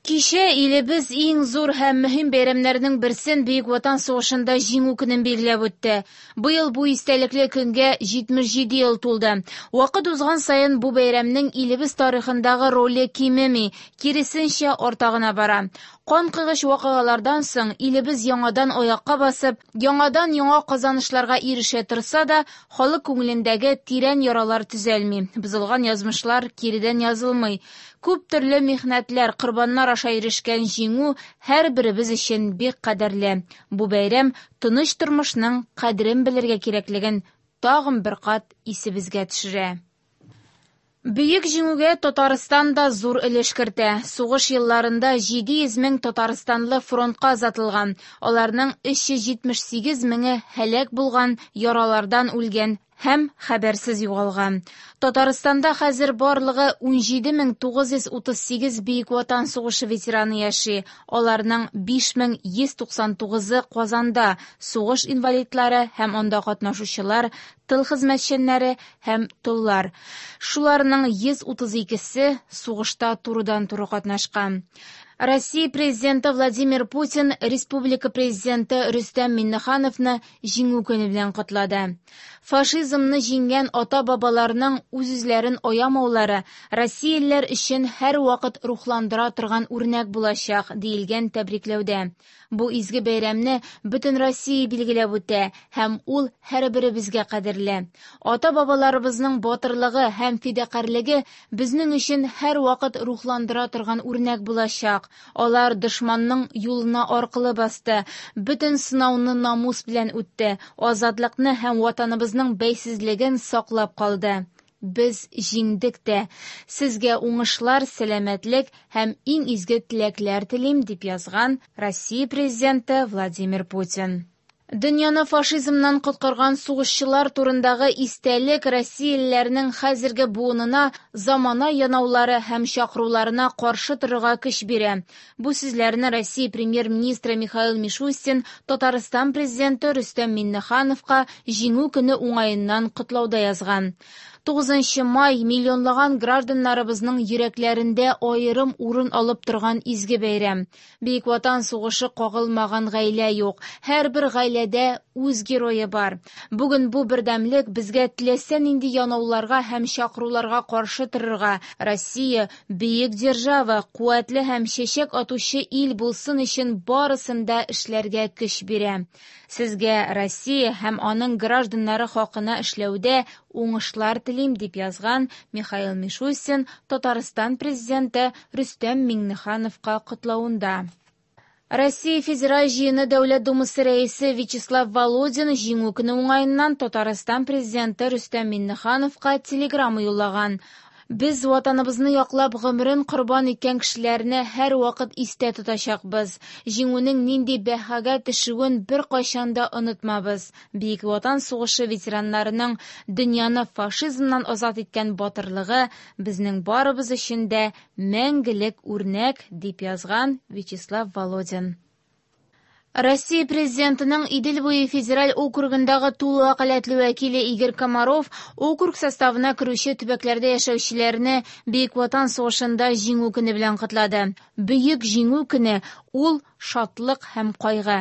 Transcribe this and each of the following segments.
Кичә илебез иң зур һәм мөһим бәйрәмнәрнең берсен Бөек Ватан сугышында Җиңү көнен билгеләп үтте. Быел бу истәлекле көнгә 77 ел тулды. Вакыт узган саен бу бәйрәмнең илебез тарихындагы роле кимеми, киресенчә, арта гына бара. Канкойгыч вакыйгалардан соң илебез яңадан аякка басып, яңадан-яңа казанышларга ирешә торса да, халык күңелендәге тирән яралар төзәлми, бозылган язмышлар киредән язылмый. Күп төрле михнәтләр, корбаннар аша ирешкән җиңү һәрберебез өчен бик кадерле. Бу бәйрәм тыныч тормышның кадерен белергә кирәклеген тагын бер кат исебезгә төшерә. Бөек Җиңүгә Татарстан да зур өлеш кертә. Сугыш елларында 700 мең татарстанлы фронтка озатылган. Аларның 378 меңе һәлак булган, яралардан үлгән һәм хәбәрсез югалган. Татарстанда хәзер барлыгы 17938 Бөек Ватан сугышы ветераны яши. Аларның 5199-ы Казанда, сугыш инвалидлары һәм анда катнашучылар, тыл хезмәтчәннәре һәм толлар. Шуларның 132-се сугышта турыдан-туры катнашкан. Россия Президенты Владимир Путин республика Президенты Рөстәм Миңнехановны Җиңү көне белән котлады. Фашизмны җиңгән ата-бабаларның үз-үзләрен аямаулары россиялеләр өчен һәрвакыт рухландыра торган үрнәк булачак, диелгән тәбрикләүдә. Бу изге бәйрәмне бөтен Россия билгеләп үтә һәм ул һәрберебезгә кадерле. Ата-бабаларыбызның батырлыгы һәм фидакарьлеге безнең өчен һәрвакыт рухландыра торган үрнәк булачак. Алар дошманның юлына аркылы басты, бөтен сынауны намус белән үтте, азатлыкны һәм Ватаныбызның бәйсезлеген саклап калды. Без җиңдек тә. Сезгә уңышлар, сәламәтлек һәм иң изге теләкләр телим, дип язган Россия Президенты Владимир Путин. Дөньяны фашизмнан коткарган сугышчылар турындагы истәлек россиялеләрнең хәзерге буынына замана янаулары һәм чакыруларына каршы торырга көч бирә. Бу сүзләрне Россия Премьер-министры Михаил Мишустин Татарстан Президенты Рөстәм Миңнехановка Җиңү көне уңаеннан котлауда язган. 9 май миллионлаган гражданнарыбызның йөрәкләрендә аерым урын алып торган изге бәйрәм. Бөек Ватан сугышы кагылмаган гаилә юк. Һәрбер гаиләдә үз герое бар. Бүген бу бердәмлек безгә теләсә нинди янауларга һәм чакыруларга каршы торырга, Россия бөек держава, куәтле һәм чәчәк атучы ил булсын өчен барысын да эшләргә көч бирә. Сезгә Россия һәм аның гражданнары хакына эшләүдә уңышлар телим, дип язган Михаил Мишустин Татарстан Президенты Рөстәм Миңнехановка котлавында. Россия Федераль Җыены Дәүләт Думасы Рәисе Вячеслав Володин Җиңү көне уңаеннан Татарстан Президенты Рөстәм Миңнехановка телеграмма юллаган. Без Ватаныбызны яклап гомерен корбан иткән кешеләрне һәрвакыт истә тотачакбыз. Җиңүнең нинди бәһагә төшүен беркайчан да онытмабыз. Бөек Ватан сугышы ветераннарының дөньяны фашизмнан азат иткән батырлыгы безнең барыбыз өчен дә мәңгелек үрнәк, дип язган Вячеслав Володин. Россия Президентының Идел буе федераль округындагы тулы вәкаләтле вәкиле Игорь Комаров округ составына керүче төбәкләрдә яшәүчеләрне Бөек Ватан сугышында Җиңү көне белән котлады. Бөек Җиңү көне ул шатлык һәм кайгы.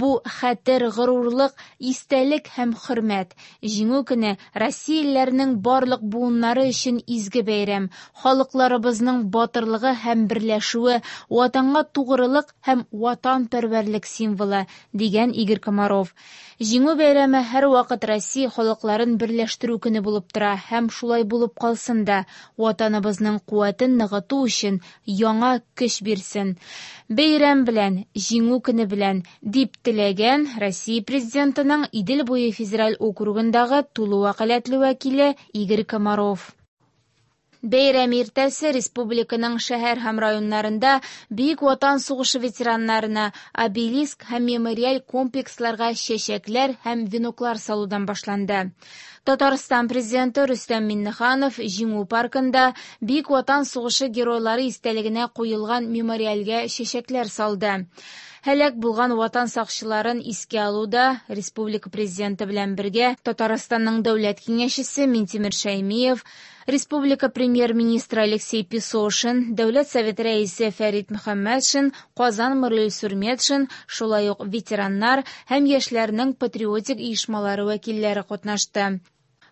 Бу хәтер, горурлык, истәлек һәм хөрмәт. Җиңү көне россиялеләрнең барлык буыннары өчен изге бәйрәм, халыкларыбызның батырлыгы һәм берләшүе, Ватанга тугрылык һәм ватанпәрвәрлек символы, дигән Игорь Комаров. Җиңү бәйрәме һәрвакыт Россия халыкларын берләштерү көне булып тора һәм шулай булып калсын да, Ватаныбызның куәтен ныгыту өчен яңа көч бирсен. Бәйрәм белән, Җиңү көне белән, дип теләгән Россия Президентының Идел буе федераль округындагы тулы вәкаләтле вәкиле Игорь Комаров. Бәйрәм иртәсе республиканың шәһәр һәм районнарында Бөек Ватан сугышы ветераннарына обелиск һәм мемориаль комплексларга чәчәкләр һәм веноклар салудан башланды. Татарстан Президенты Рөстәм Миңнеханов Җиңү паркында Бөек Ватан сугышы геройлары истәлегенә куелган мемориальгә чәчәкләр салды. Һәлак булган Ватан сакчыларын искә алуда республика Президенты белән бергә Татарстанның Дәүләт Киңәшчесе Минтимер Шәймиев, республика Премьер-министры Алексей Песошин, Дәүләт Советы Рәисе Фәрит Мөхәммәтшин, Казан мэры Илсур Метшин, шулай ук ветераннар һәм яшьләрнең патриотик оешмалары вәкилләре катнашты.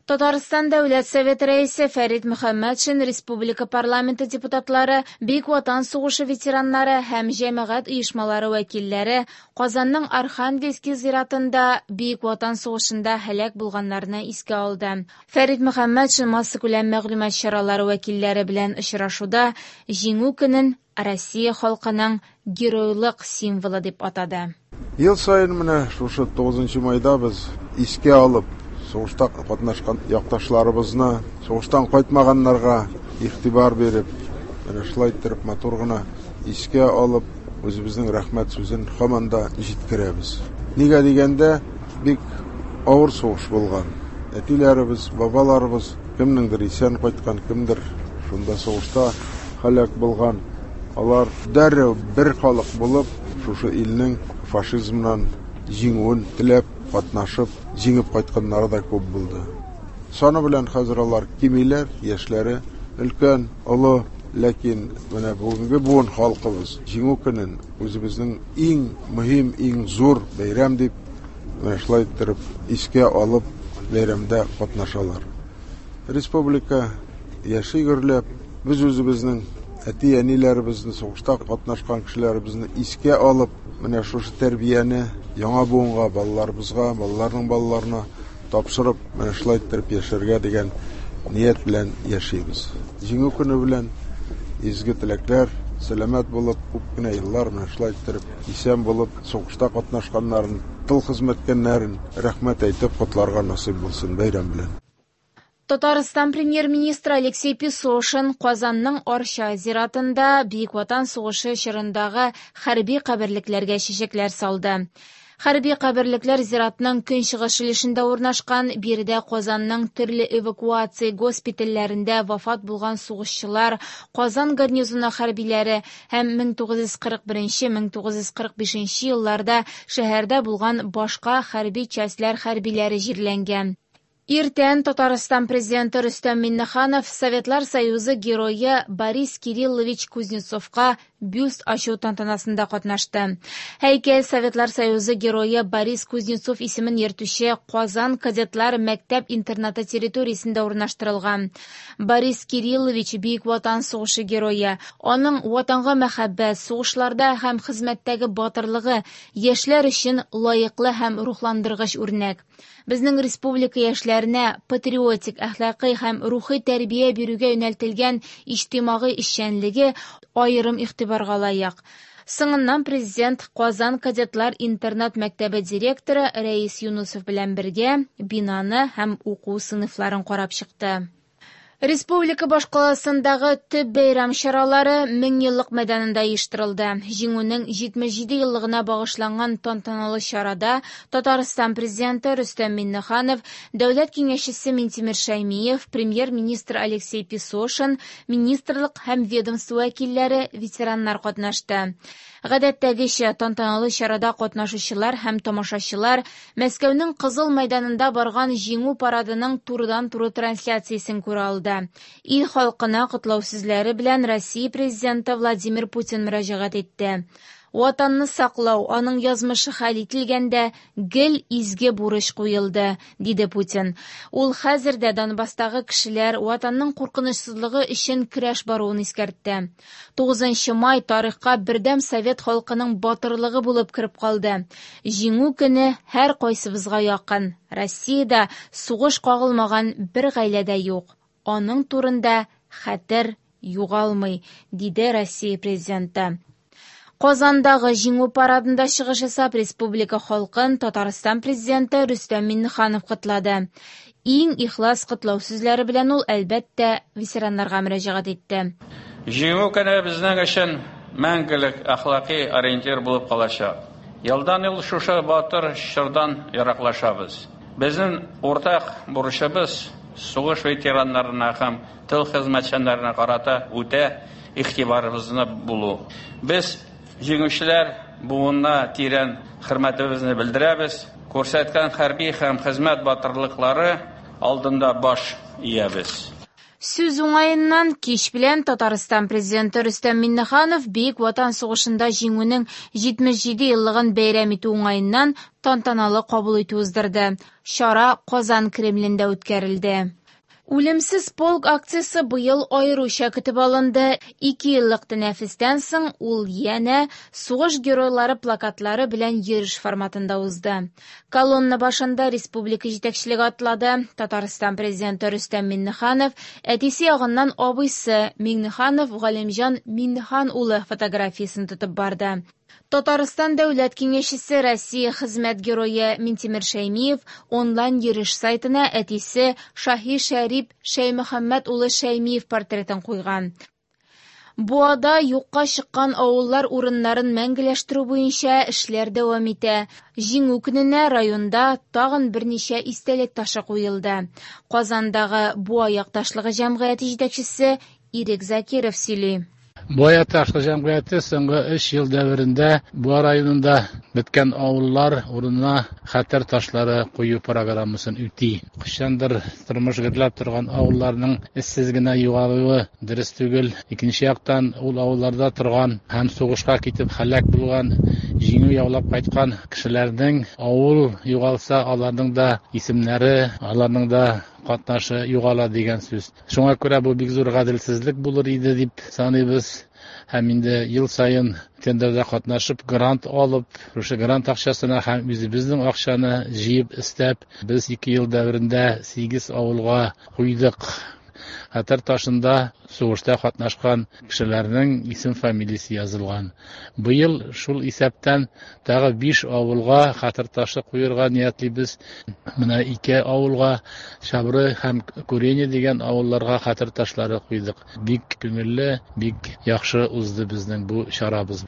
Татарстан Дәүләт Советы Рәисе Фәрит Мөхәммәтшин, республика парламенты депутатлары, Бөек Ватан сугышы ветераннары һәм җәмәгать оешмалары вәкилләре Казанның Архангельский зиратында Бөек Ватан сугышында һәлак булганнарны искә алды. Фәрит Мөхәммәтшин массакүләм мәгълүмат чаралары вәкилләре белән очрашуда Җиңү көнен Россия халкының геройлык символы дип атады. Ел саен менә шушы 9 майда без искә алып, сугышта катнашкан якташларыбызны, сугыштан кайтмаганнарга игътибар биреп, менә шулай иттереп матур гына искә алып, үзебезнең рәхмәт сүзен һаман да җиткерәбез. Нигә дигәндә, бик авыр сугыш булган. Әтиләребез, бабаларыбыз кемнеңдер исән кайткан, кемдер шунда сугышта һәлак булган. Алар дәррәү бер халык булып, шушы илнең фашизмнан җиңүен теләп, катнашып, җиңеп кайтканнары да күп булды. Саны белән хәзер алар кимиләр, яшьләре өлкән, олы, ләкин менә бүгенге буын халкыбыз Җиңү көнен үзебезнең иң мөһим, иң зур бәйрәм дип, менә шулай иттереп искә алып бәйрәмдә катнашалар. Республика яши гөрләп, без үзебезнең әти-әниләребезне, сугышта катнашкан кешеләребезне искә алып, менә шушы тәрбияне яңа буынга, балаларыбызга, балаларның балаларына тапшырып, менә шулай иттереп яшәргә дигән ният белән яшибез. Җиңү көне белән изге теләкләр, сәламәт булып, күп кенә еллар менә шулай иттереп исән булып, сугышта катнашканнарын, тыл хезмәткәннәрен рәхмәт әйтеп котларга насыйп булсын бәйрәм белән. Татарстан премьер-министры Алексей Песошин Казанның Арча зиратында Бөек Ватан сугышы чорындагы хәрби каберлекләргә чәчәкләр салды. Хәрби каберлекләр зиратның көнчыгыш өлешендә урнашкан. Биредә Казанның төрле эвакуация госпитальләрендә вафат булган сугышчылар, Казан гарнизоны хәрбиләре һәм 1941-1945 елларда шәһәрдә булган башка хәрби частьләр хәрбиләре җирләнгән. Иртән Татарстан президенты Рөстәм Миңнеханов Советлар Союзы герое Борис Кириллович Кузнецовка бюст ачу тантанасында катнашты. Һәйкәл Советлар Союзы герое Борис Кузнецов исемен йөртүче Казан кадетлар мәктәп-интернаты территориясендә урнаштырылган. Борис Кириллович Бөек Ватан сугышы герое. Аның ватанга мәхәббәт, сугышларда һәм хезмәттәге батырлыгы яшьләр өчен лаеклы һәм рухландыргыч үрнәк. Безнең республика яшьләренә патриотик, әхлакый һәм рухи тәрбия бирүгә юнәлтелгән иҗтимагый эшчәнлеге аерым игътибарга лаек. Соңыннан президент Казан кадетлар интернат мәктәбе директоры Рәис Юнусов белән бергә бинаны һәм уку сыйныфларын карап чыкты. Республика башкаласындагы төп бәйрәм чаралары Меңьеллык мәйданында оештырылды. Җиңүнең 77 еллыгына багышланган тантаналы чарада Татарстан президенты Рөстәм Миңнеханов, Дәүләт киңәшчесе Минтимер Шәймиев, премьер-министр Алексей Песошин, министрлык һәм ведомство вәкилләре, ветераннар катнашты. Гадәттәгечә тантаналы чарада катнашучылар һәм тамашачылар Мәскәүнең Кызыл мәйданында барган Җиңү парадының турыдан-туры трансляциясен күрә алды. Ил халкына котлау сүзләре белән Россия президенты Владимир Путин мөрәҗәгать итте. Ватанны саклау, аның язмышы хәл ителгәндә гел изге бурыч куелды, диде Путин. Ул хәзер дә Донбасстагы кешеләр ватанның куркынычсызлыгы өчен көрәш баруын искәртте. 9 май тарихка бердәм совет халкының батырлыгы булып кереп калды. Җиңү көне һәр кайсыбызга якын. Россиядә сугыш кагылмаган бер гаилә дә юк. Аның турында хәтер югалмый, диде Россия президенты. Казандагы Җиңү парадында чыгыш ясап, республика халкын Татарстан президенты Рөстәм Миңнеханов котлады. Иң ихлас котлау сүзләре белән ул, әлбәттә, ветераннарга мөрәҗәгать итте. Җиңү көне безнең өчен мәңгелек әхлакый ориентир булып калачак. Елдан ел шушы батыр чордан ераклашабыз. Безнең уртак бурычыбыз сугыш ветераннарына һәм тыл хезмәтчәннәренә карата үтә игътибарыбызны булу. Без җиңүчеләр буынына тирән хөрмәтебезне белдерәбез, күрсәткән хәрби һәм хезмәт батырлыклары алдында баш иябез. Сүз уңаеннан, кич белән Татарстан Президенты Рөстәм Миңнеханов Бөек Ватан сугышында җиңүнең 77 еллыгын бәйрәм итү уңаеннан тантаналы кабул итү уздырды. Чара Казан Кремлендә үткәрелде. Үлемсез полк акциясе быел аеруча көтеп алынды. 2 еллык тәнәфестән соң ул янә сугыш геройлары плакатлары белән йөреш форматында узды. Колонна башында республика җитәкчелеге атлады. Татарстан президенты Рөстәм Миңнеханов әтисе ягыннан абыйсы Миңнеханов Галимҗан Миңнехан улы фотографиясен тотып барды. Татарстан дәүләт киңәшчесе Россия хезмәт герое Минтимер Шәймиев онлайн йөреш сайтына әтисе Шаһи Шәрип Шәймөхәммәт улы Шәймиев портретын куйган. Буада юкка чыккан авыллар урыннарын мәңгеләштерү буенча эшләр дәвам итә. Җиңү көненә районда тагын берничә истәлек ташы куелды. Казандагы Буа якташлыгы җәмгыяте җитәкчесе Ирек Закиров сөйли. Буа якташлыгы җәмгыяте соңгы 3 ел дәверендә Буа районында беткән авыллар урынына хәтер ташлары кую программасын үти. Кайчандыр тормыш гөрләп торган авылларның эзсез генә югалуы дөрес түгел. Икенче яктан, ул авылларда торган һәм сугышка китеп һәлак булган, җиңү яулап кайткан кешеләрнең авыл югалса, аларның да исемнәре, аларның да катнашы югала дигән сүз. Шуңа күрә бу бик зур гаделсезлек булыр иде дип саныйбыз. Һәм инде ел саен тендерда катнашып, грант алып, шушы грант акчасына һәм үзебезнең акчаны җыеп эстәп, без 2 ел дәверендә 8 авылга куйдык. Хәтер ташында сугышта катнашкан кешеләрнең исем-фамилиясе язылган. Быел шул исәптән тагы 5 авылга хәтер ташы куярга ниятлибез. Менә 2 авылга, Чабры һәм Курени дигән авылларга хәтер ташлары куйдык. Бик күңелле, бик яхшы узды безнең бу чарабыз.